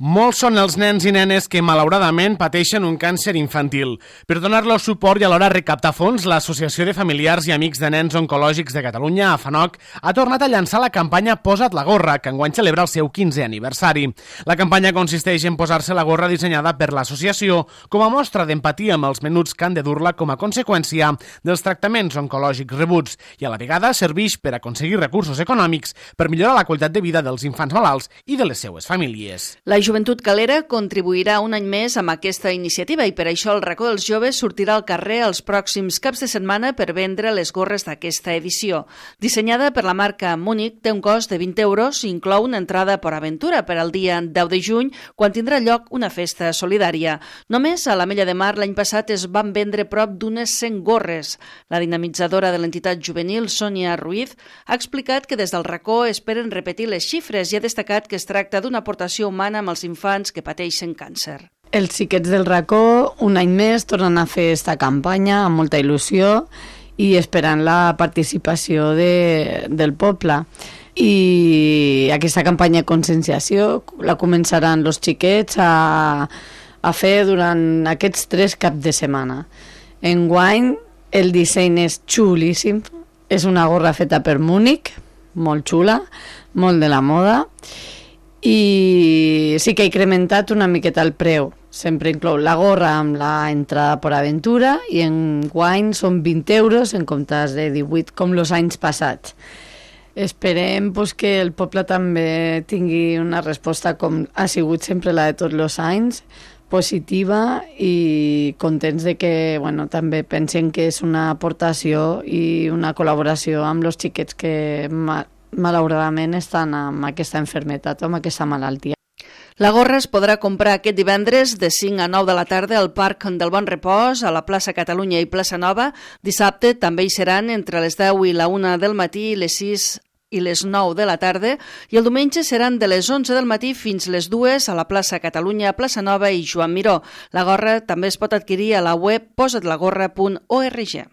Molts són els nens i nenes que, malauradament, pateixen un càncer infantil. Per donar-los suport i alhora recaptar fons, l'Associació de Familiars i Amics de Nens Oncològics de Catalunya, AFANOC, ha tornat a llançar la campanya Posa't la gorra, que enguany celebra el seu 15è aniversari. La campanya consisteix en posar-se la gorra dissenyada per l'associació com a mostra d'empatia amb els menuts que han de dur-la com a conseqüència dels tractaments oncològics rebuts i a la vegada serveix per aconseguir recursos econòmics per millorar la qualitat de vida dels infants malalts i de les seues famílies. La Joventut Calera contribuirà un any més amb aquesta iniciativa i per això el Racó dels Joves sortirà al carrer els pròxims caps de setmana per vendre les gorres d'aquesta edició. Dissenyada per la marca Múnich, té un cost de 20 euros i inclou una entrada per aventura per al dia 10 de juny, quan tindrà lloc una festa solidària. Només a l'Ametlla de Mar l'any passat es van vendre prop d'unes 100 gorres. La dinamitzadora de l'entitat juvenil, Sònia Ruiz, ha explicat que des del Racó esperen repetir les xifres i ha destacat que es tracta d'una aportació humana amb els infants que pateixen càncer. Els xiquets del Racó un any més tornen a fer esta campanya amb molta il·lusió i esperant la participació del poble. I aquesta campanya de conscienciació la començaran els xiquets a fer durant aquests 3 caps de setmana. Enguany el disseny és xulíssim, és una gorra feta per Múnich, molt xula, molt de la moda, i sí que ha incrementat una miqueta el preu. Sempre inclou la gorra amb la entrada per aventura i enguany són 20 euros en comptes de 18 com els anys passats. Esperem que el poble també tingui una resposta com ha sigut sempre la de tots els anys, positiva i contents de que també pensen que és una aportació i una col·laboració amb els xiquets que malauradament estan amb aquesta malaltia o amb aquesta malaltia. La gorra es podrà comprar aquest divendres de 5 a 9 de la tarda al Parc del Bon Repòs, a la plaça Catalunya i plaça Nova. Dissabte també hi seran entre les 10 i la 1 del matí, les 6 i les 9 de la tarda, i el diumenge seran de les 11 del matí fins les 2 a la plaça Catalunya, plaça Nova i Joan Miró. La gorra també es pot adquirir a la web posatlagorra.org.